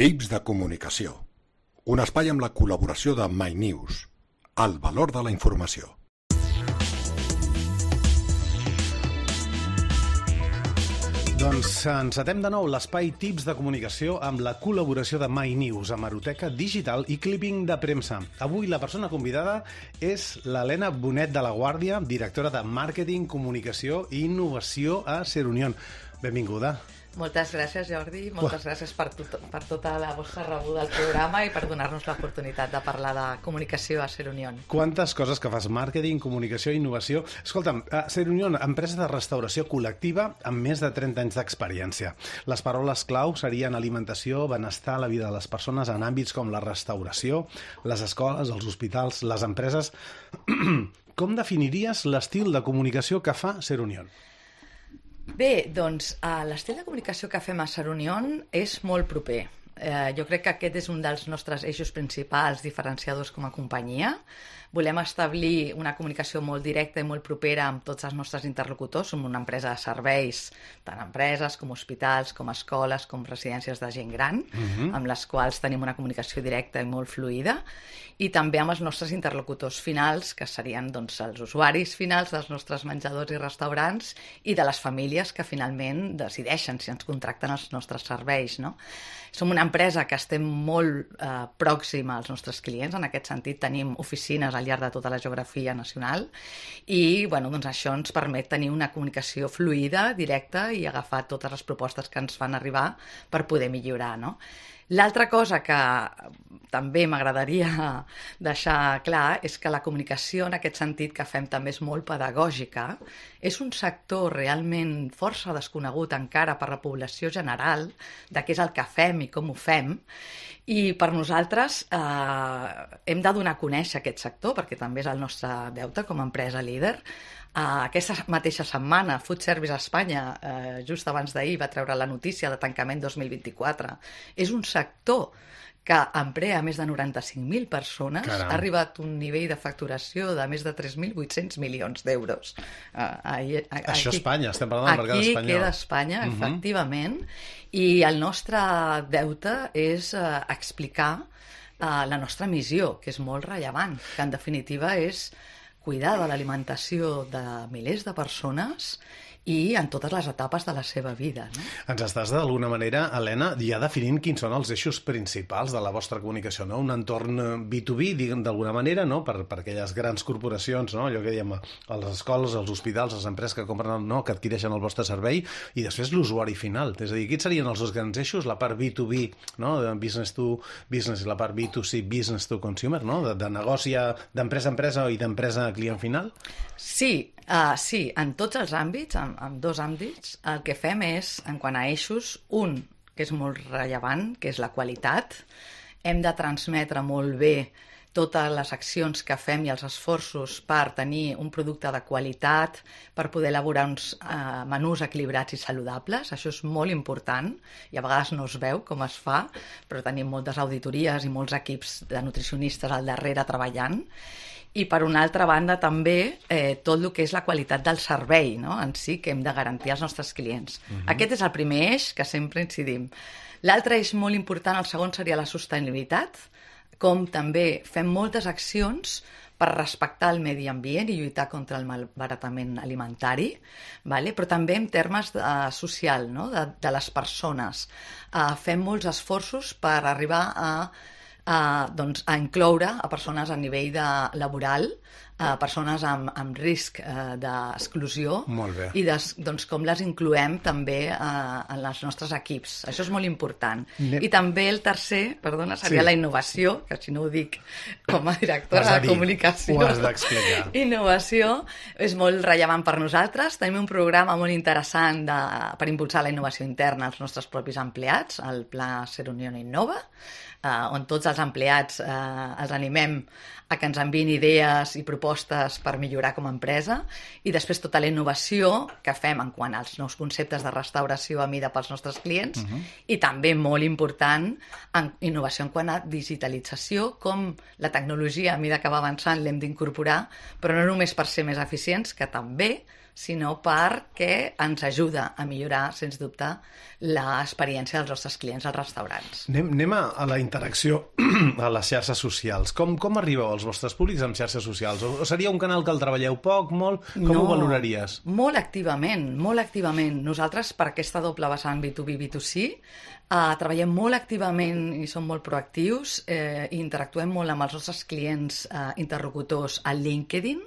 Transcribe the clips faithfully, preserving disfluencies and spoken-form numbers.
Tips de comunicació. Un espai amb la col·laboració de MyNews. El valor de la informació. Doncs encetem de nou l'espai Tips de comunicació amb la col·laboració de MyNews, Hemeroteca Digital i Clipping de Premsa. Avui la persona convidada és l'Helena Bonet de la Guàrdia, directora de Màrqueting, Comunicació i Innovació a Ser Unión. Benvinguda. Moltes gràcies, Jordi. Moltes gràcies per, tot, per tota la vostra rebuda al programa i per donar-nos l'oportunitat de parlar de comunicació a Ser Unión. Quantes coses que fas, màrqueting, comunicació i innovació. Escolta'm, Ser Unión, empresa de restauració col·lectiva amb més de trenta anys d'experiència. Les paraules clau serien alimentació, benestar, la vida de les persones en àmbits com la restauració, les escoles, els hospitals, les empreses. Com definiries l'estil de comunicació que fa Ser Unión? Bé, doncs uh, l'estil de comunicació que fem a Ser Unión és molt proper. Eh, jo crec que aquest és un dels nostres eixos principals diferenciadors com a companyia. Volem establir una comunicació molt directa i molt propera amb tots els nostres interlocutors. Som una empresa de serveis, tant empreses com hospitals, com escoles, com residències de gent gran, uh-huh. amb les quals tenim una comunicació directa i molt fluida, i també amb els nostres interlocutors finals, que serien doncs, els usuaris finals dels nostres menjadors i restaurants i de les famílies que finalment decideixen si ens contracten els nostres serveis, no? Som una empresa que estem molt eh, pròxima als nostres clients. En aquest sentit tenim oficines al llarg de tota la geografia nacional i bueno, doncs això ens permet tenir una comunicació fluida, directa i agafar totes les propostes que ens fan arribar per poder millorar, no? L'altra cosa que també m'agradaria deixar clar és que la comunicació en aquest sentit que fem també és molt pedagògica. És un sector realment força desconegut encara per la població general de què és el que fem i com ho fem. I per nosaltres eh, hem de donar a conèixer aquest sector perquè també és el nostre deute com a empresa líder. Uh, aquesta mateixa setmana Food Service Espanya, uh, just abans d'ahir, va treure la notícia de tancament dos mil vint-i-quatre. És un sector que emplea més de noranta-cinc mil persones. Caram. Ha arribat un nivell de facturació de més de tres mil vuit-cents milions d'euros. Uh, ahir, a, Això aquí, Espanya, estem parlant del mercat espanyol. Aquí queda Espanya, uh-huh. efectivament, i el nostre deute és uh, explicar uh, la nostra missió, que és molt rellevant, que en definitiva és cuidar de l'alimentació de milers de persones i en totes les etapes de la seva vida, no? Ens estàs d'alguna manera, Helena, ja definint quins són els eixos principals de la vostra comunicació, no? Un entorn B dos B, diguem d'alguna manera, no? Per, per aquelles grans corporacions, no? Allò que diem a les escoles, als hospitals, les empreses que compren, no? Que adquireixen el vostre servei, i després l'usuari final. És a dir, quins serien els dos grans eixos? La part B dos B, no? De business to business, i la part B dos C, business to consumer, no? De, de negoci d'empresa a empresa i d'empresa a client final? Sí, uh, sí, en tots els àmbits, en, en dos àmbits, el que fem és, en quant a eixos, un, que és molt rellevant, que és la qualitat. Hem de transmetre molt bé totes les accions que fem i els esforços per tenir un producte de qualitat, per poder elaborar uns uh, menús equilibrats i saludables. Això és molt important i a vegades no es veu com es fa, però tenim moltes auditories i molts equips de nutricionistes al darrere treballant. I per una altra banda també eh, tot el que és la qualitat del servei, no? En si que hem de garantir als nostres clients. Uh-huh. Aquest és el primer eix que sempre incidim. L'altre eix molt important, el segon, seria la sostenibilitat, com també fem moltes accions per respectar el medi ambient i lluitar contra el malbaratament alimentari, vale? Però també en termes de, uh, social, no? de, de les persones. Uh, fem molts esforços per arribar a Uh, doncs, a incloure a persones a nivell de laboral, a persones amb, amb risc uh, d'exclusió. Molt bé. I des, doncs, com les incloem també uh, en els nostres equips. Això és molt important. Ne... I també el tercer, perdona, seria sí. la innovació, que si no ho dic com a directora de comunicació. Ho has d'explicar. Innovació és molt rellevant per nosaltres. Tenim un programa molt interessant de, per impulsar la innovació interna als nostres propis empleats, el Pla Ser Unión Innova, Uh, on tots els empleats uh, els animem a que ens enviïn idees i propostes per millorar com a empresa, i després tota la innovació que fem en quant als nous conceptes de restauració a mida pels nostres clients, uh-huh. i també molt important en innovació en quant a digitalització, com la tecnologia a mida que va avançant l'hem d'incorporar, però no només per ser més eficients, que també sinó perquè ens ajuda a millorar, sens dubte, l'experiència dels nostres clients als restaurants. Anem, anem a, a la interacció a les xarxes socials. Com, com arribeu als vostres públics amb xarxes socials? O, o seria un canal que el treballeu poc, molt? Com no, ho valoraries? Molt activament, molt activament. Nosaltres, per aquesta doble vessant B dos B, B dos C, Uh, treballem molt activament i som molt proactius eh, i interactuem molt amb els nostres clients uh, interlocutors a LinkedIn.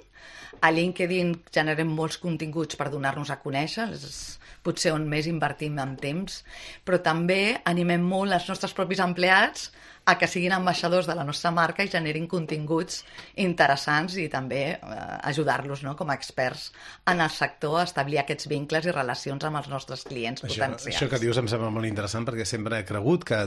A LinkedIn generem molts continguts per donar-nos a conèixer, és potser on més invertim en temps, però també animem molt els nostres propis empleats a que siguin ambaixadors de la nostra marca i generin continguts interessants i també eh, ajudar-los, no?, com a experts en el sector a establir aquests vincles i relacions amb els nostres clients això, potencials. Això que dius em sembla molt interessant perquè sempre he cregut que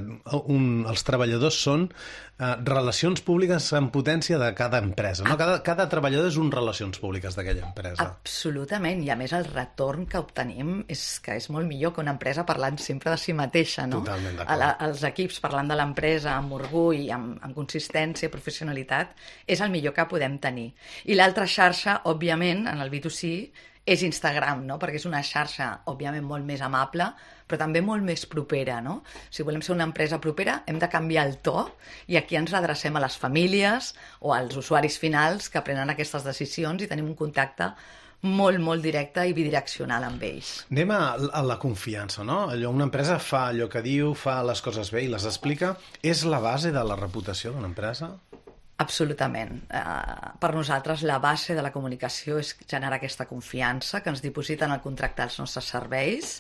un, els treballadors són eh, relacions públiques en potència de cada empresa, no? Cada, cada treballador és un relacions públiques d'aquella empresa. Absolutament, i a més el retorn que obtenim és que és molt millor que una empresa parlant sempre de si mateixa, no? Totalment d'acord. La, els equips parlant de l'empresa amb orgull, amb, amb consistència i professionalitat, és el millor que podem tenir. I l'altra xarxa, òbviament, en el B dos C, és Instagram, no? Perquè és una xarxa, òbviament, molt més amable, però també molt més propera, no? Si volem ser una empresa propera, hem de canviar el to i aquí ens adrecem a les famílies o als usuaris finals que prenen aquestes decisions i tenim un contacte molt, molt directe i bidireccional amb ells. Anem a, a la confiança, no? Allò, una empresa fa allò que diu, fa les coses bé i les explica. És la base de la reputació d'una empresa? Absolutament. Uh, per nosaltres la base de la comunicació és generar aquesta confiança que ens dipositen al contractar els nostres serveis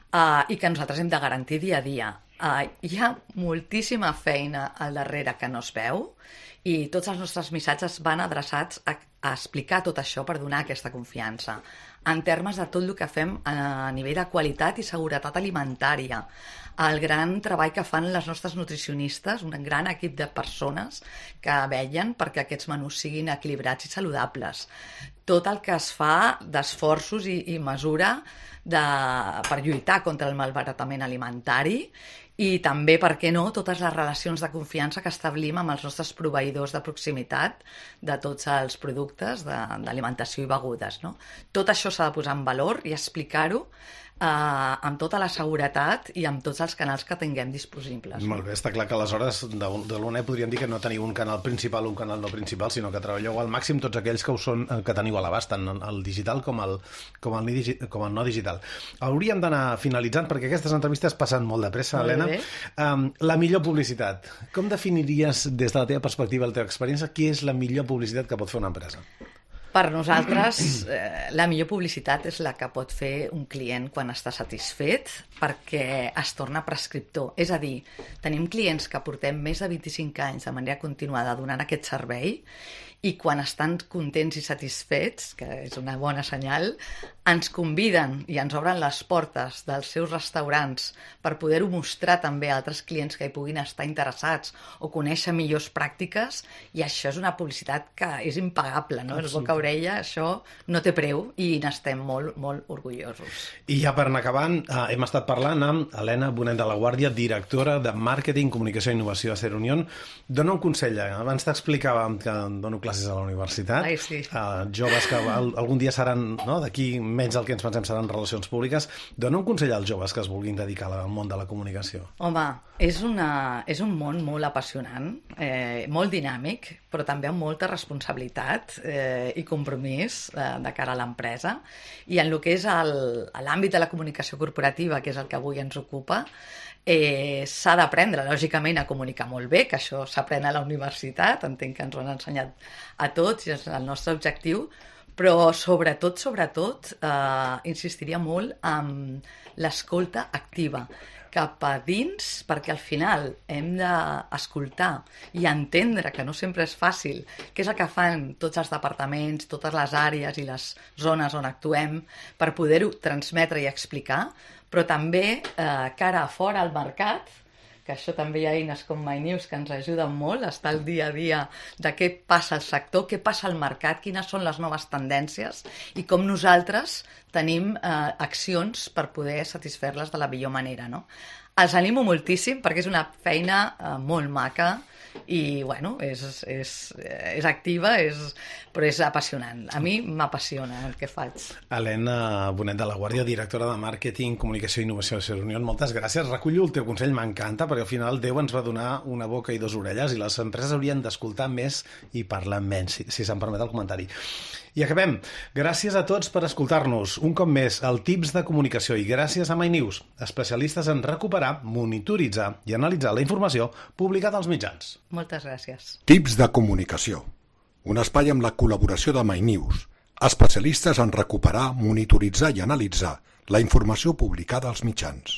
uh, i que nosaltres hem de garantir dia a dia. Uh, hi ha moltíssima feina al darrere que no es veu i tots els nostres missatges van adreçats a, a explicar tot això per donar aquesta confiança en termes de tot el que fem a nivell de qualitat i seguretat alimentària, el gran treball que fan les nostres nutricionistes, un gran equip de persones que vetllen perquè aquests menús siguin equilibrats i saludables, tot el que es fa d'esforços i, i mesura de, per lluitar contra el malbaratament alimentari i també, per què no, totes les relacions de confiança que establim amb els nostres proveïdors de proximitat de tots els productes d'alimentació i begudes, no? Tot això s'ha de posar en valor i explicar-ho eh, amb tota la seguretat i amb tots els canals que tinguem disponibles. Molt bé, està clar que aleshores de, de l'U N E podríem dir que no teniu un canal principal o un canal no principal, sinó que treballeu al màxim tots aquells que, us són, que teniu a l'abast, tant el digital com el, com, el, com el no digital. Hauríem d'anar finalitzant perquè aquestes entrevistes passen molt de pressa, Helena. Um, la millor publicitat. Com definiries des de la teva perspectiva, la teva experiència, qui és la millor publicitat que pot fer una empresa? Per nosaltres, eh, la millor publicitat és la que pot fer un client quan està satisfet perquè es torna prescriptor. És a dir, tenim clients que portem més de vint-i-cinc anys de manera continuada donant aquest servei i quan estan contents i satisfets, que és una bona senyal, ens conviden i ens obren les portes dels seus restaurants per poder-ho mostrar també a altres clients que hi puguin estar interessats o conèixer millors pràctiques, i això és una publicitat que és impagable, no? És boca a orella, això no té preu i n'estem molt, molt orgullosos. I ja per anar acabant, eh, hem estat parlant amb Helena Bonet de la Guàrdia, directora de Màrqueting, Comunicació i Innovació a Ser Unión. Dóna un consell, eh? Abans t'explicàvem que dono classes a la universitat. Ai, sí. Uh, joves que algun dia seran, no, d'aquí menys del que ens pensem seran relacions públiques. Dona un consell als joves que es vulguin dedicar al món de la comunicació. Home, és, una, és un món molt apassionant, eh, molt dinàmic, però també amb molta responsabilitat eh, i compromís eh, de cara a l'empresa. I en el que és l'àmbit de la comunicació corporativa, que és el que avui ens ocupa, Eh, s'ha d'aprendre, lògicament, a comunicar molt bé, que això s'aprèn a la universitat, entenc que ens ho han ensenyat a tots i és el nostre objectiu, però sobretot, sobretot, eh, insistiria molt en l'escolta activa cap a dins, perquè al final hem d'escoltar i entendre que no sempre és fàcil, que és el que fan tots els departaments, totes les àrees i les zones on actuem, per poder-ho transmetre i explicar, però també eh, cara a fora al mercat, que això també hi ha eines com MyNews que ens ajuden molt a estar al dia a dia de què passa al sector, què passa al mercat, quines són les noves tendències i com nosaltres tenim eh, accions per poder satisfer-les de la millor manera, no? Els animo moltíssim perquè és una feina eh, molt maca, i, bueno, és, és, és activa, és, però és apassionant. A mi m'apassiona el que faig. Helena Bonet de la Guàrdia, directora de Màrqueting, Comunicació i Innovació de Ser Unió, moltes gràcies. Recullo el teu consell, m'encanta, perquè al final Déu ens va donar una boca i dues orelles i les empreses haurien d'escoltar més i parlar menys, si, si se'm permet el comentari. I acabem. Gràcies a tots per escoltar-nos. Un cop més, el Tips de Comunicació, i gràcies a MyNews, especialistes en recuperar, monitoritzar i analitzar la informació publicada als mitjans. Moltes gràcies. Tips de Comunicació, un espai amb la col·laboració de MyNews, especialistes en recuperar, monitoritzar i analitzar la informació publicada als mitjans.